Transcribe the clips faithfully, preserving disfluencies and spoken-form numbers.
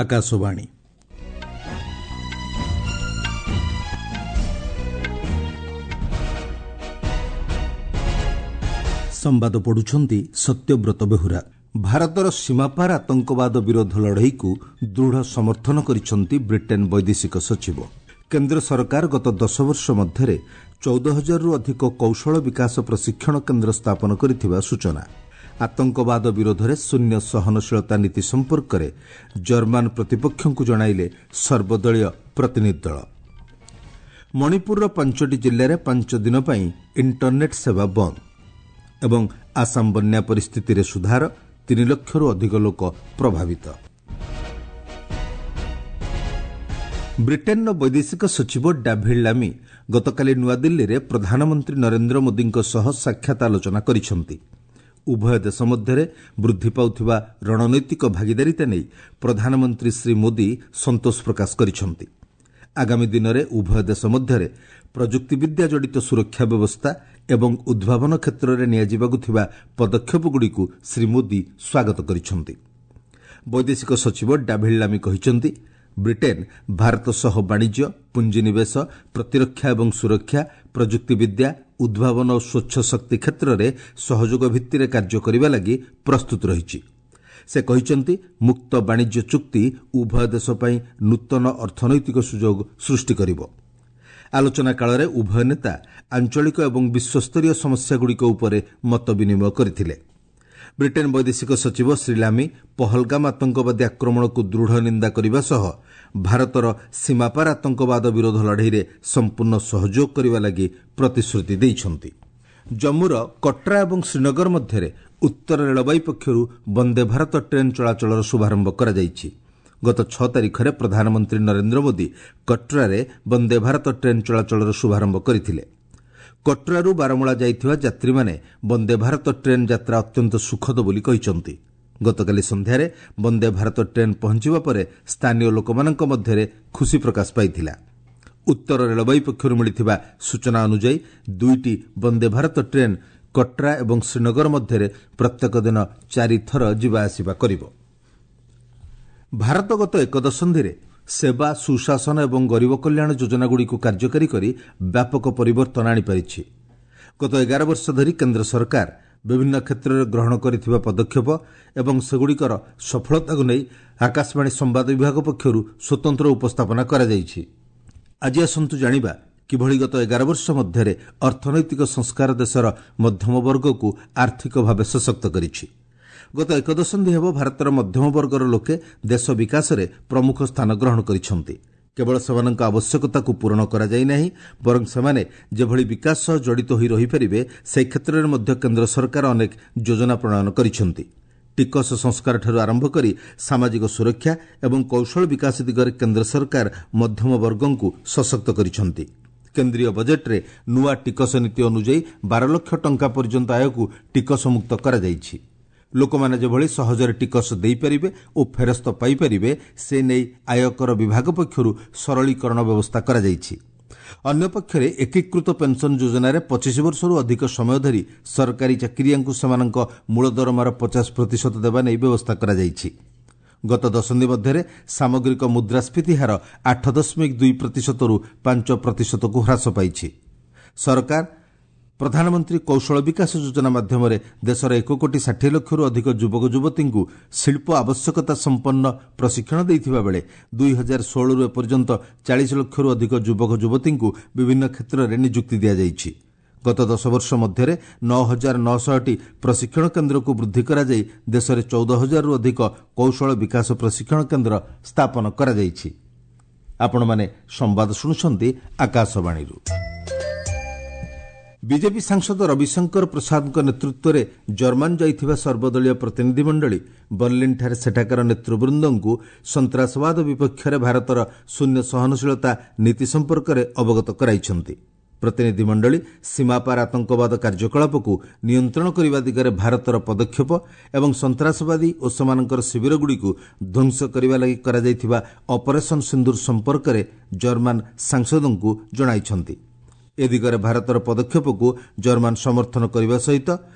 ଆକାଶବାଣୀ। ସମ୍ବାଦ ପଢୁଛନ୍ତି ସତ୍ୟବ୍ରତ ବେହୁରା। ଭାରତର ସୀମାପାର ଆତଙ୍କବାଦ ବିରୋଧ ଲଢ଼େଇକୁ ଦୃଢ଼ ସମର୍ଥନ କରିଛନ୍ତି ବ୍ରିଟେନ୍ ବୈଦେଶିକ ସଚିବ। କେନ୍ଦ୍ର ସରକାର ଗତ ଦଶ ବର୍ଷ ମଧ୍ୟରେ ଚଉଦ ହଜାରରୁ ଅଧିକ କୌଶଳ ବିକାଶ ପ୍ରଶିକ୍ଷଣ କେନ୍ଦ୍ର ସ୍ଥାପନ କରିଥିବା ସୂଚନା। ଆତଙ୍କବାଦ ବିରୋଧରେ ଶୂନ୍ୟ ସହନଶୀଳତା ନୀତି ସମ୍ପର୍କରେ ଜର୍ମାନ ପ୍ରତିପକ୍ଷଙ୍କୁ ଜଣାଇଲେ ସର୍ବଦଳୀୟ ପ୍ରତିନିଧି ଦଳ। ମଣିପୁରର ପାଞ୍ଚଟି ଜିଲ୍ଲାରେ ପାଞ୍ଚ ଦିନ ପାଇଁ ଇଣ୍ଟରନେଟ୍ ସେବା ବନ୍ଦ ଏବଂ ଆସାମ ବନ୍ୟା ପରିସ୍ଥିତିରେ ସୁଧାର, ତିନି ଲକ୍ଷରୁ ଅଧିକ ଲୋକ ପ୍ରଭାବିତ। ବ୍ରିଟେନ୍ର ବୈଦେଶିକ ସଚିବ ଡାଭିଡ୍ ଲାମି ଗତକାଲି ନୂଆଦିଲ୍ଲୀରେ ପ୍ରଧାନମନ୍ତ୍ରୀ ନରେନ୍ଦ୍ର ମୋଦିଙ୍କ ସହ ସାକ୍ଷାତ ଆଲୋଚନା କରିଛନ୍ତି। ଉଭୟ ଦେଶ ମଧ୍ୟରେ ବୃଦ୍ଧି ପାଉଥିବା ରଣନୈତିକ ଭାଗିଦାରିତା ନେଇ ପ୍ରଧାନମନ୍ତ୍ରୀ ଶ୍ରୀ ମୋଦି ସନ୍ତୋଷ ପ୍ରକାଶ କରିଛନ୍ତି। ଆଗାମୀ ଦିନରେ ଉଭୟ ଦେଶ ମଧ୍ୟରେ ପ୍ରଯୁକ୍ତିବିଦ୍ୟା ଜଡ଼ିତ ସୁରକ୍ଷା ବ୍ୟବସ୍ଥା ଏବଂ ଉଦ୍ଭାବନ କ୍ଷେତ୍ରରେ ନିଆଯିବାକୁ ଥିବା ପଦକ୍ଷେପଗୁଡ଼ିକୁ ଶ୍ରୀ ମୋଦି ସ୍ୱାଗତ କରିଛନ୍ତି। ବୈଦେଶିକ ସଚିବ ଡାଭିଡ୍ ଲାମି କହିଛନ୍ତି, ବ୍ରିଟେନ୍ ଭାରତ ସହ ବାଣିଜ୍ୟ, ପୁଞ୍ଜିନିବେଶ, ପ୍ରତିରକ୍ଷା ଏବଂ ସୁରକ୍ଷା, ପ୍ରଯୁକ୍ତିବିଦ୍ୟା, ଉଦ୍ଭାବନ ଓ ସ୍ୱଚ୍ଛ ଶକ୍ତି କ୍ଷେତ୍ରରେ ସହଯୋଗ ଭିତ୍ତିରେ କାର୍ଯ୍ୟ କରିବା ଲାଗି ପ୍ରସ୍ତୁତ ରହିଛି। ସେ କହିଛନ୍ତି, ମୁକ୍ତ ବାଣିଜ୍ୟ ଚୁକ୍ତି ଉଭୟ ଦେଶ ପାଇଁ ନୂତନ ଅର୍ଥନୈତିକ ସୁଯୋଗ ସୃଷ୍ଟି କରିବ। ଆଲୋଚନା କାଳରେ ଉଭୟ ନେତା ଆଞ୍ଚଳିକ ଏବଂ ବିଶ୍ୱସ୍ତରୀୟ ସମସ୍ୟାଗୁଡ଼ିକ ଉପରେ ମତ ବିନିମୟ କରିଥିଲେ। ବ୍ରିଟେନ୍ ବୈଦେଶିକ ସଚିବ ଶ୍ରୀ ଲାମି ପହଲଗାମ ଆତଙ୍କବାଦୀ ଆକ୍ରମଣକୁ ଦୃଢ଼ ନିନ୍ଦା କରିବା ସହ ଭାରତର ସୀମାପାର ଆତଙ୍କବାଦ ବିରୋଧ ଲଢ଼େଇରେ ସମ୍ପୂର୍ଣ୍ଣ ସହଯୋଗ କରିବା ଲାଗି ପ୍ରତିଶ୍ରୁତି ଦେଇଛନ୍ତି। ଜମ୍ମୁର କଟ୍ରା ଏବଂ ଶ୍ରୀନଗର ମଧ୍ୟରେ ଉତ୍ତର ରେଳବାଇ ପକ୍ଷରୁ ବନ୍ଦେ ଭାରତ ଟ୍ରେନ୍ ଚଳାଚଳର ଶୁଭାରମ୍ଭ କରାଯାଇଛି। ଗତ ଛଅ ତାରିଖରେ ପ୍ରଧାନମନ୍ତ୍ରୀ ନରେନ୍ଦ୍ର ମୋଦି କଟ୍ରାରେ ବନ୍ଦେ ଭାରତ ଟ୍ରେନ୍ ଚଳାଚଳର ଶୁଭାରମ୍ଭ କରିଥିଲେ। କଟ୍ରାରୁ ବାରମୂଳା ଯାଇଥିବା ଯାତ୍ରୀମାନେ ବନ୍ଦେ ଭାରତ ଟ୍ରେନ୍ ଯାତ୍ରା ଅତ୍ୟନ୍ତ ସୁଖଦ ବୋଲି କହିଛନ୍ତି। ଗତକାଲି ସନ୍ଧ୍ୟାରେ ବନ୍ଦେ ଭାରତ ଟ୍ରେନ୍ ପହଞ୍ଚିବା ପରେ ସ୍ଥାନୀୟ ଲୋକମାନଙ୍କ ମଧ୍ୟରେ ଖୁସି ପ୍ରକାଶ ପାଇଥିଲା। ଉତ୍ତର ରେଳବାଇ ପକ୍ଷରୁ ମିଳିଥିବା ସୂଚନା ଅନୁଯାୟୀ ଦୁଇଟି ବନ୍ଦେ ଭାରତ ଟ୍ରେନ୍ କଟ୍ରା ଏବଂ ଶ୍ରୀନଗର ମଧ୍ୟରେ ପ୍ରତ୍ୟେକ ଦିନ ଚାରିଥର ଯିବା ଆସିବା କରିବ। ଭାରତ ଗତ ଏକ ଦଶନ୍ଧିରେ ସେବା, ସୁଶାସନ ଏବଂ ଗରିବ କଲ୍ୟାଣ ଯୋଜନାଗୁଡ଼ିକୁ କାର୍ଯ୍ୟକାରୀ କରି ବ୍ୟାପକ ପରିବର୍ତ୍ତନ ଆଣିପାରିଛି। ଗତ ଏଗାର ବର୍ଷ ଧରି କେନ୍ଦ୍ର ସରକାର ବିଭିନ୍ନ କ୍ଷେତ୍ରରେ ଗ୍ରହଣ କରିଥିବା ପଦକ୍ଷେପ ଏବଂ ସେଗୁଡ଼ିକର ସଫଳତାକୁ ନେଇ ଆକାଶବାଣୀ ସମ୍ବାଦ ବିଭାଗ ପକ୍ଷରୁ ସ୍ୱତନ୍ତ୍ର ଉପସ୍ଥାପନା କରାଯାଇଛି। ଆଜି ଆସନ୍ତୁ ଜାଣିବା କିଭଳି ଗତ ଏଗାର ବର୍ଷ ମଧ୍ୟରେ ଅର୍ଥନୈତିକ ସଂସ୍କାର ଦେଶର ମଧ୍ୟମ ବର୍ଗକୁ ଆର୍ଥିକ ଭାବେ ସଶକ୍ତ କରିଛି। ଗତ ଏକ ଦଶନ୍ଧି ହେବ ଭାରତର ମଧ୍ୟମ ବର୍ଗର ଲୋକେ ଦେଶ ବିକାଶରେ ପ୍ରମୁଖ ସ୍ଥାନ ଗ୍ରହଣ କରିଛନ୍ତି। କେବଳ ସେମାନଙ୍କ ଆବଶ୍ୟକତାକୁ ପୂରଣ କରାଯାଇ ନାହିଁ, ବରଂ ସେମାନେ ଯେଭଳି ବିକାଶ ସହ ଜଡ଼ିତ ହୋଇ ରହିପାରିବେ ସେ କ୍ଷେତ୍ରରେ ମଧ୍ୟ କେନ୍ଦ୍ର ସରକାର ଅନେକ ଯୋଜନା ପ୍ରଣୟନ କରିଛନ୍ତି। ଟିକସ ସଂସ୍କାରଠାରୁ ଆରମ୍ଭ କରି ସାମାଜିକ ସୁରକ୍ଷା ଏବଂ କୌଶଳ ବିକାଶ ଦିଗରେ କେନ୍ଦ୍ର ସରକାର ମଧ୍ୟମ ବର୍ଗଙ୍କୁ ସଶକ୍ତ କରିଛନ୍ତି। କେନ୍ଦ୍ରୀୟ ବଜେଟ୍ରେ ନୂଆ ଟିକସ ନୀତି ଅନୁଯାୟୀ ବାର ଲକ୍ଷ ଟଙ୍କା ପର୍ଯ୍ୟନ୍ତ ଆୟକୁ ଟିକସମୁକ୍ତ କରାଯାଇଛି। ଲୋକମାନେ ଯେଭଳି ସହଜରେ ଟିକସ ଦେଇପାରିବେ ଓ ଫେରସ୍ତ ପାଇପାରିବେ ସେ ନେଇ ଆୟକର ବିଭାଗ ପକ୍ଷରୁ ସରଳୀକରଣ ବ୍ୟବସ୍ଥା କରାଯାଇଛି। ଅନ୍ୟପକ୍ଷରେ ଏକୀକୃତ ପେନ୍ସନ୍ ଯୋଜନାରେ ପଚିଶ ବର୍ଷରୁ ଅଧିକ ସମୟ ଧରି ସରକାରୀ ଚାକିରିଆଙ୍କୁ ସେମାନଙ୍କ ମୂଳ ଦରମାର ପଚାଶ ପ୍ରତିଶତ ଦେବା ନେଇ ବ୍ୟବସ୍ଥା କରାଯାଇଛି। ଗତ ଦଶନ୍ଧି ମଧ୍ୟରେ ସାମଗ୍ରିକ ମୁଦ୍ରାସ୍ଫୀତି ହାର ଆଠ ଦଶମିକ ଦୁଇ ପ୍ରତିଶତରୁ ପାଞ୍ଚ ପ୍ରତିଶତକୁ ହ୍ରାସ ପାଇଛି। ସରକାର ପ୍ରଧାନମନ୍ତ୍ରୀ କୌଶଳ ବିକାଶ ଯୋଜନା ମାଧ୍ୟମରେ ଦେଶର ଏକ କୋଟି ଷାଠିଏ ଲକ୍ଷରୁ ଅଧିକ ଯୁବକ ଯୁବତୀଙ୍କୁ ଶିଳ୍ପ ଆବଶ୍ୟକତା ସମ୍ପନ୍ନ ପ୍ରଶିକ୍ଷଣ ଦେଇଥିବା ବେଳେ ଦୁଇ ହଜାର ଷୋହଳରୁ ଏପର୍ଯ୍ୟନ୍ତ ଚାଳିଶ ଲକ୍ଷରୁ ଅଧିକ ଯୁବକ ଯୁବତୀଙ୍କୁ ବିଭିନ୍ନ କ୍ଷେତ୍ରରେ ନିଯୁକ୍ତି ଦିଆଯାଇଛି। ଗତ ଦଶ ବର୍ଷ ମଧ୍ୟରେ ନଅ ହଜାର ନଅଶହଟି ପ୍ରଶିକ୍ଷଣ କେନ୍ଦ୍ରକୁ ବୃଦ୍ଧି କରାଯାଇ ଦେଶରେ ଚଉଦ ହଜାରରୁ ଅଧିକ କୌଶଳ ବିକାଶ ପ୍ରଶିକ୍ଷଣ କେନ୍ଦ୍ର ସ୍ଥାପନ କରାଯାଇଛି। ଆପଣମାନେ ସମ୍ବାଦ ଶୁଣୁଛନ୍ତି ଆକାଶବାଣୀରୁ। ବିଜେପି ସାଂସଦ ରବିଶଙ୍କର ପ୍ରସାଦଙ୍କ ନେତୃତ୍ୱରେ ଜର୍ମାନ ଯାଇଥିବା ସର୍ବଦଳୀୟ ପ୍ରତିନିଧିମଣ୍ଡଳୀ ବର୍ଲିନ୍ଠାରେ ସେଠାକାର ନେତୃବୃନ୍ଦଙ୍କୁ ସନ୍ତ୍ରାସବାଦ ବିପକ୍ଷରେ ଭାରତର ଶୂନ୍ୟ ସହନଶୀଳତା ନୀତି ସମ୍ପର୍କରେ ଅବଗତ କରାଇଛନ୍ତି। ପ୍ରତିନିଧିମଣ୍ଡଳୀ ସୀମାପାର ଆତଙ୍କବାଦ କାର୍ଯ୍ୟକଳାପକୁ ନିୟନ୍ତ୍ରଣ କରିବା ଦିଗରେ ଭାରତର ପଦକ୍ଷେପ ଏବଂ ସନ୍ତ୍ରାସବାଦୀ ଓ ସେମାନଙ୍କର ଶିବିରଗୁଡ଼ିକୁ ଧ୍ୱଂସ କରିବା ଲାଗି କରାଯାଇଥିବା ଅପରେସନ୍ ସିନ୍ଦୁର ସମ୍ପର୍କରେ ଜର୍ମାନ ସାଂସଦଙ୍କୁ ଜଣାଇଛନ୍ତି। ଏ ଦିଗରେ ଭାରତର ପଦକ୍ଷେପକୁ ଜର୍ମାନ ସମର୍ଥନ କରିବା ସହିତ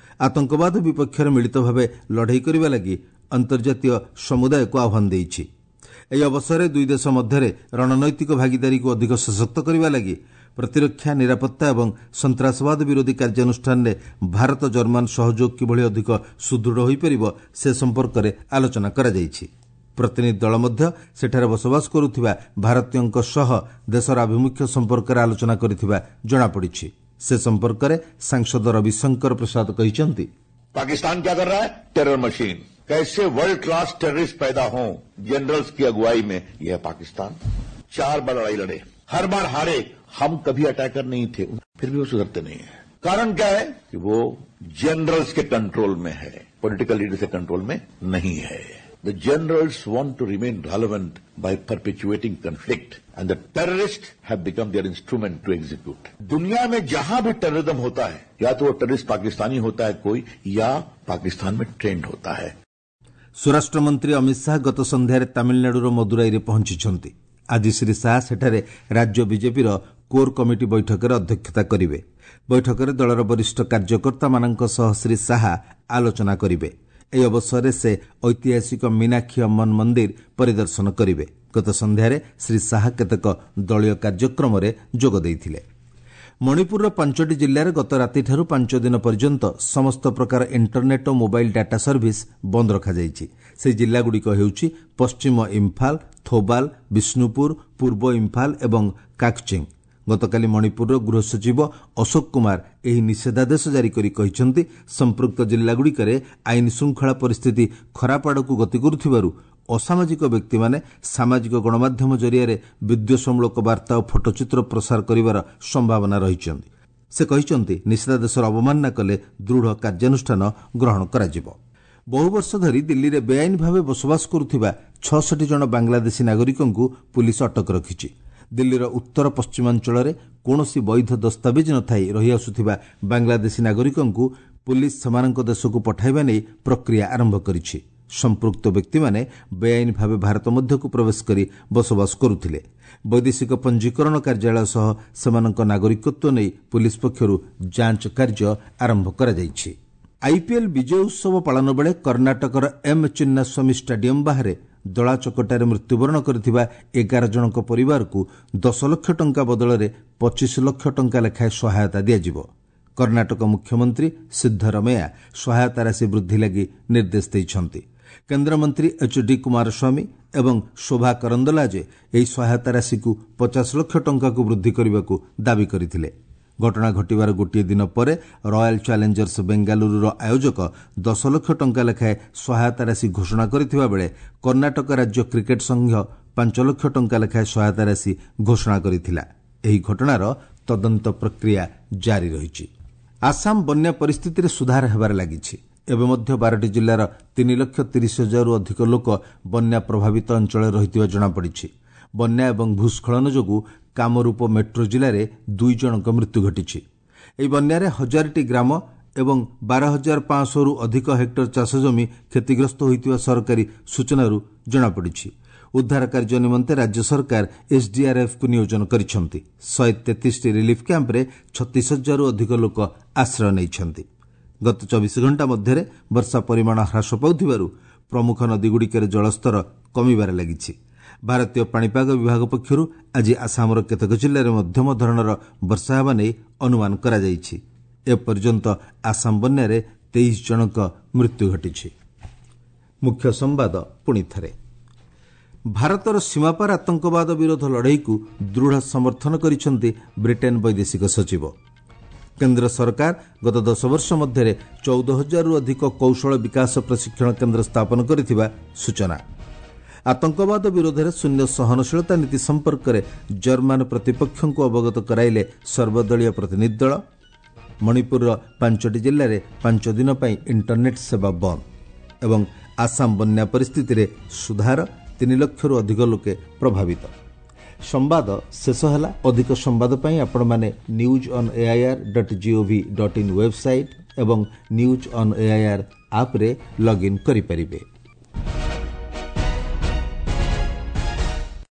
ଆତଙ୍କବାଦ ବିପକ୍ଷରେ ମିଳିତ ଭାବେ ଲଢ଼େଇ କରିବା ଲାଗି ଅନ୍ତର୍ଜାତୀୟ ସମୁଦାୟକୁ ଆହ୍ୱାନ ଦେଇଛି। ଏହି ଅବସରରେ ଦୁଇ ଦେଶ ମଧ୍ୟରେ ରଣନୈତିକ ଭାଗିଦାରୀକୁ ଅଧିକ ସଶକ୍ତ କରିବା ଲାଗି ପ୍ରତିରକ୍ଷା, ନିରାପତ୍ତା ଏବଂ ସନ୍ତାସବାଦ ବିରୋଧୀ କାର୍ଯ୍ୟାନୁଷ୍ଠାନରେ ଭାରତ ଜର୍ମାନ ସହଯୋଗ କିଭଳି ଅଧିକ ସୁଦୃଢ଼ ହୋଇପାରିବ ସେ ସମ୍ପର୍କରେ ଆଲୋଚନା କରାଯାଇଛି। ପ୍ରତିନିଧି ଦଳ ମଧ୍ୟ ସେଠାରେ ବସବାସ କରୁଥିବା ଭାରତୀୟଙ୍କ ସହ ଦେଶର ଆଭିମୁଖ୍ୟ ସମ୍ପର୍କରେ ଆଲୋଚନା କରିଥିବା ଜଣାପଡ଼ିଛି। ସେ ସମ୍ପର୍କରେ ସାଂସଦ ରବିଶଙ୍କର ପ୍ରସାଦ କହିଛନ୍ତି, पाकिस्तान क्या कर रहा है? Terror machine. कैसे वर्ल्ड क्लास टेररिस्ट पैदा हों जनरल्स की अगुवाई में, यह पाकिस्तान। चार बार लड़ाई लड़े, हर बार हारे। हम कभी अटैकर नहीं थे, फिर भी वो सुधरते नहीं है। कारण क्या है कि वो जनरल्स के कंट्रोल में है, पॉलिटिकल लीडर्स के कंट्रोल में नहीं है। The generals want to remain relevant by perpetuating conflict and the terrorists have become their instrument to execute. दुनिया में जहां भी टेररिज्म होता है, या तो वो टेररिस्ट पाकिस्तानी होता है कोई, या पाकिस्तान में ट्रेंड होता है। ସ୍ୱରାଷ୍ଟ୍ରମନ୍ତ୍ରୀ ଅମିତ ଶାହା ଗତ ସନ୍ଧ୍ୟାରେ ତାମିଲନାଡୁର ମଦୁରାଇରେ ପହଞ୍ଚିଛନ୍ତି। ଆଜି ଶ୍ରୀ ଶାହା ସେଠାରେ ରାଜ୍ୟ ବିଜେପିର କୋର୍ କମିଟି ବୈଠକରେ ଅଧ୍ୟକ୍ଷତା କରିବେ। ବୈଠକରେ ଦଳର ବରିଷ୍ଠ କାର୍ଯ୍ୟକର୍ତ୍ତାମାନଙ୍କ ସହ ଶ୍ରୀ ଶାହା ଆଲୋଚନା କରିବେ। ଏହି ଅବସରରେ ସେ ଐତିହାସିକ ମୀନାକ୍ଷୀ ଅମ୍ମନ ମନ୍ଦିର ପରିଦର୍ଶନ କରିବେ। ଗତ ସନ୍ଧ୍ୟାରେ ଶ୍ରୀ ଶାହା କେତେକ ଦଳୀୟ କାର୍ଯ୍ୟକ୍ରମରେ ଯୋଗ ଦେଇଥିଲେ। ମଣିପୁରର ପାଞ୍ଚଟି ଜିଲ୍ଲାରେ ଗତ ରାତିଠାରୁ ପାଞ୍ଚ ଦିନ ପର୍ଯ୍ୟନ୍ତ ସମସ୍ତ ପ୍ରକାର ଇଣ୍ଟରନେଟ୍ ଓ ମୋବାଇଲ୍ ଡାଟା ସର୍ଭିସ୍ ବନ୍ଦ ରଖାଯାଇଛି। ସେହି ଜିଲ୍ଲାଗୁଡ଼ିକ ହେଉଛି ପଶ୍ଚିମ ଇମ୍ଫାଲ, ଥୋବାଲ, ବିଷ୍ଣୁପୁର, ପୂର୍ବ ଇମ୍ଫାଲ ଏବଂ କାକଚିଂ। ଗତକାଲି ମଣିପୁରର ଗୃହ ସଚିବ ଅଶୋକ କୁମାର ଏହି ନିଷେଧାଦେଶ ଜାରି କରି କହିଛନ୍ତି, ସମ୍ପୃକ୍ତ ଜିଲ୍ଲାଗୁଡ଼ିକରେ ଆଇନ ଶୃଙ୍ଖଳା ପରିସ୍ଥିତି ଖରାପ ଆଡ଼କୁ ଗତି କରୁଥିବାରୁ ଅସାମାଜିକ ବ୍ୟକ୍ତିମାନେ ସାମାଜିକ ଗଣମାଧ୍ୟମ ଜରିଆରେ ବିଦ୍ୱେଷମୂଳକ ବାର୍ତ୍ତା ଓ ଫଟୋଚିତ୍ର ପ୍ରସାର କରିବାର ସମ୍ଭାବନା ରହିଛନ୍ତି। ସେ କହିଛନ୍ତି, ନିଷେଧାଦେଶର ଅବମାନନା କଲେ ଦୃଢ଼ କାର୍ଯ୍ୟାନୁଷ୍ଠାନ ଗ୍ରହଣ କରାଯିବ। ବହୁ ବର୍ଷ ଧରି ଦିଲ୍ଲୀରେ ବେଆଇନ ଭାବେ ବସବାସ କରୁଥିବା ଛଅଷଠି ଜଣ ବାଂଲାଦେଶୀ ନାଗରିକଙ୍କୁ ପୁଲିସ୍ ଅଟକ ରଖିଛି। ଦିଲ୍ଲୀର ଉତ୍ତର ପଶ୍ଚିମାଞ୍ଚଳରେ କୌଣସି ବୈଧ ଦସ୍ତାବିଜ ନଥାଇ ରହିଆସୁଥିବା ବାଂଲାଦେଶୀ ନାଗରିକଙ୍କୁ ପୁଲିସ୍ ସେମାନଙ୍କ ଦେଶକୁ ପଠାଇବା ନେଇ ପ୍ରକ୍ରିୟା ଆରମ୍ଭ କରିଛି। ସମ୍ପୃକ୍ତ ବ୍ୟକ୍ତିମାନେ ବେଆଇନ ଭାବେ ଭାରତ ମଧ୍ୟକୁ ପ୍ରବେଶ କରି ବସବାସ କରୁଥିଲେ। ବୈଦେଶିକ ପଞ୍ଜୀକରଣ କାର୍ଯ୍ୟାଳୟ ସହ ସେମାନଙ୍କ ନାଗରିକତ୍ୱ ନେଇ ପୁଲିସ୍ ପକ୍ଷରୁ ଯାଞ୍ଚ କାର୍ଯ୍ୟ ଆରମ୍ଭ କରାଯାଇଛି। ଆଇପିଏଲ୍ ବିଜୟ ଉତ୍ସବ ପାଳନ ବେଳେ କର୍ଣ୍ଣାଟକର ଏମ୍ ଚିନ୍ନାସ୍ୱାମୀ ଷ୍ଟାଡିୟମ୍ ବାହାରେ ଦଳାଚକଟାରେ ମୃତ୍ୟୁବରଣ କରିଥିବା ଏଗାର ଜଣଙ୍କ ପରିବାରକୁ ଦଶ ଲକ୍ଷ ଟଙ୍କା ବଦଳରେ ପଚିଶ ଲକ୍ଷ ଟଙ୍କା ଲେଖାଏଁ ସହାୟତା ଦିଆଯିବ। କର୍ଣ୍ଣାଟକ ମୁଖ୍ୟମନ୍ତ୍ରୀ ସିଦ୍ଧରମେୟା ସହାୟତା ରାଶି ବୃଦ୍ଧି ଲାଗି ନିର୍ଦ୍ଦେଶ ଦେଇଛନ୍ତି। କେନ୍ଦ୍ରମନ୍ତ୍ରୀ ଏଚ୍ ଡି କୁମାରସ୍ୱାମୀ ଏବଂ ଶୋଭା କରନ୍ଦଲାଜେ ଏହି ସହାୟତା ରାଶିକୁ ପଚାଶ ଲକ୍ଷ ଟଙ୍କାକୁ ବୃଦ୍ଧି କରିବାକୁ ଦାବି କରିଥିଲେ। ଘଟଣା ଘଟିବାର ଗୋଟିଏ ଦିନ ପରେ ରୟାଲ ଚ୍ୟାଲେଞ୍ଜର୍ସ ବେଙ୍ଗାଲୁରୁର ଆୟୋଜକ ଦଶ ଲକ୍ଷ ଟଙ୍କା ଲେଖାଏଁ ସହାୟତା ରାଶି ଘୋଷଣା କରିଥିବା ବେଳେ କର୍ଣ୍ଣାଟକ ରାଜ୍ୟ କ୍ରିକେଟ୍ ସଂଘ ପାଞ୍ଚ ଲକ୍ଷ ଟଙ୍କା ଲେଖାଏଁ ସହାୟତା ରାଶି ଘୋଷଣା କରିଥିଲା। ଏହି ଘଟଣାର ତଦନ୍ତ ପ୍ରକ୍ରିୟା ଜାରି ରହିଛି। ଆସାମ ବନ୍ୟା ପରିସ୍ଥିତିରେ ସୁଧାର ହେବାରେ ଲାଗିଛି। ଏବେ ମଧ୍ୟ ବାରଟି ଜିଲ୍ଲାର ତିନି ଲକ୍ଷ ତିରିଶ ହଜାରରୁ ଅଧିକ ଲୋକ ବନ୍ୟା ପ୍ରଭାବିତ ଅଞ୍ଚଳରେ ରହିଥିବା ଜଣାପଡ଼ିଛି। ବନ୍ୟା ଏବଂ ଭୂସ୍ଖଳନ ଯୋଗୁଁ କାମରୂପ ମେଟ୍ରୋ ଜିଲ୍ଲାରେ ଦୁଇ ଜଣଙ୍କ ମୃତ୍ୟୁ ଘଟିଛି। ଏହି ବନ୍ୟାରେ ହଜାରଟି ଗ୍ରାମ ଏବଂ ବାର ହଜାର ପାଞ୍ଚଶହରୁ ଅଧିକ ହେକ୍ଟର ଚାଷଜମି କ୍ଷତିଗ୍ରସ୍ତ ହୋଇଥିବା ସରକାରୀ ସୂଚନାରୁ ଜଣାପଡ଼ିଛି। ଉଦ୍ଧାର କାର୍ଯ୍ୟ ନିମନ୍ତେ ରାଜ୍ୟ ସରକାର ଏସ୍ଡିଆର୍ଏଫ୍କୁ ନିୟୋଜନ କରିଛନ୍ତି। ଶହେ ତେତିଶଟି ରିଲିଫ୍ କ୍ୟାମ୍ପରେ ଛତିଶ ହଜାରରୁ ଅଧିକ ଲୋକ ଆଶ୍ରୟ ନେଇଛନ୍ତି। ଗତ ଚବିଶ ଘଣ୍ଟା ମଧ୍ୟରେ ବର୍ଷା ପରିମାଣ ହ୍ରାସ ପାଉଥିବାରୁ ପ୍ରମୁଖ ନଦୀଗୁଡ଼ିକରେ ଜଳସ୍ତର କମିବାରେ ଲାଗିଛି। ଭାରତୀୟ ପାଣିପାଗ ବିଭାଗ ପକ୍ଷରୁ ଆଜି ଆସାମର କେତେକ ଜିଲ୍ଲାରେ ମଧ୍ୟମ ଧରଣର ବର୍ଷା ହେବା ନେଇ ଅନୁମାନ କରାଯାଇଛି। ଏପର୍ଯ୍ୟନ୍ତ ଆସାମ ବନ୍ୟାରେ ତେଇଶ ଜଣଙ୍କ ମୃତ୍ୟୁ ଘଟିଛି। ମୁଖ୍ୟ ସମ୍ବାଦ ପୁଣି ଥରେ, ଭାରତର ସୀମାପାର ଆତଙ୍କବାଦ ବିରୋଧ ଲଢ଼େଇକୁ ଦୃଢ଼ ସମର୍ଥନ କରିଛନ୍ତି ବ୍ରିଟେନ୍ ବୈଦେଶିକ ସଚିବ। କେନ୍ଦ୍ର ସରକାର ଗତ ଦଶ ବର୍ଷ ମଧ୍ୟରେ ଚଉଦ ହଜାରରୁ ଅଧିକ କୌଶଳ ବିକାଶ ପ୍ରଶିକ୍ଷଣ କେନ୍ଦ୍ର ସ୍ଥାପନ କରିଥିବା ସୂଚନା। ଆତଙ୍କବାଦ ବିରୋଧରେ ଶୂନ୍ୟ ସହନଶୀଳତା ନୀତି ସମ୍ପର୍କରେ ଜର୍ମାନ ପ୍ରତିପକ୍ଷଙ୍କୁ ଅବଗତ କରାଇଲେ ସର୍ବଦଳୀୟ ପ୍ରତିନିଧି ଦଳ। ମଣିପୁରର ପାଞ୍ଚଟି ଜିଲ୍ଲାରେ ପାଞ୍ଚ ଦିନ ପାଇଁ ଇଣ୍ଟରନେଟ୍ ସେବା ବନ୍ଦ ଏବଂ ଆସାମ ବନ୍ୟା ପରିସ୍ଥିତିରେ ସୁଧାର, ତିନି ଲକ୍ଷରୁ ଅଧିକ ଲୋକେ ପ୍ରଭାବିତ। ସମ୍ବାଦ ଶେଷ ହେଲା। ଅଧିକ ସମ୍ବାଦ ପାଇଁ ଆପଣମାନେ news on AIR dot gov dot in website ଏବଂ ନ୍ୟୁଜ୍ ଅନ୍ ଏଆଇଆର୍ ଆପ୍ରେ ଲଗ୍ଇନ୍ କରିପାରିବେ।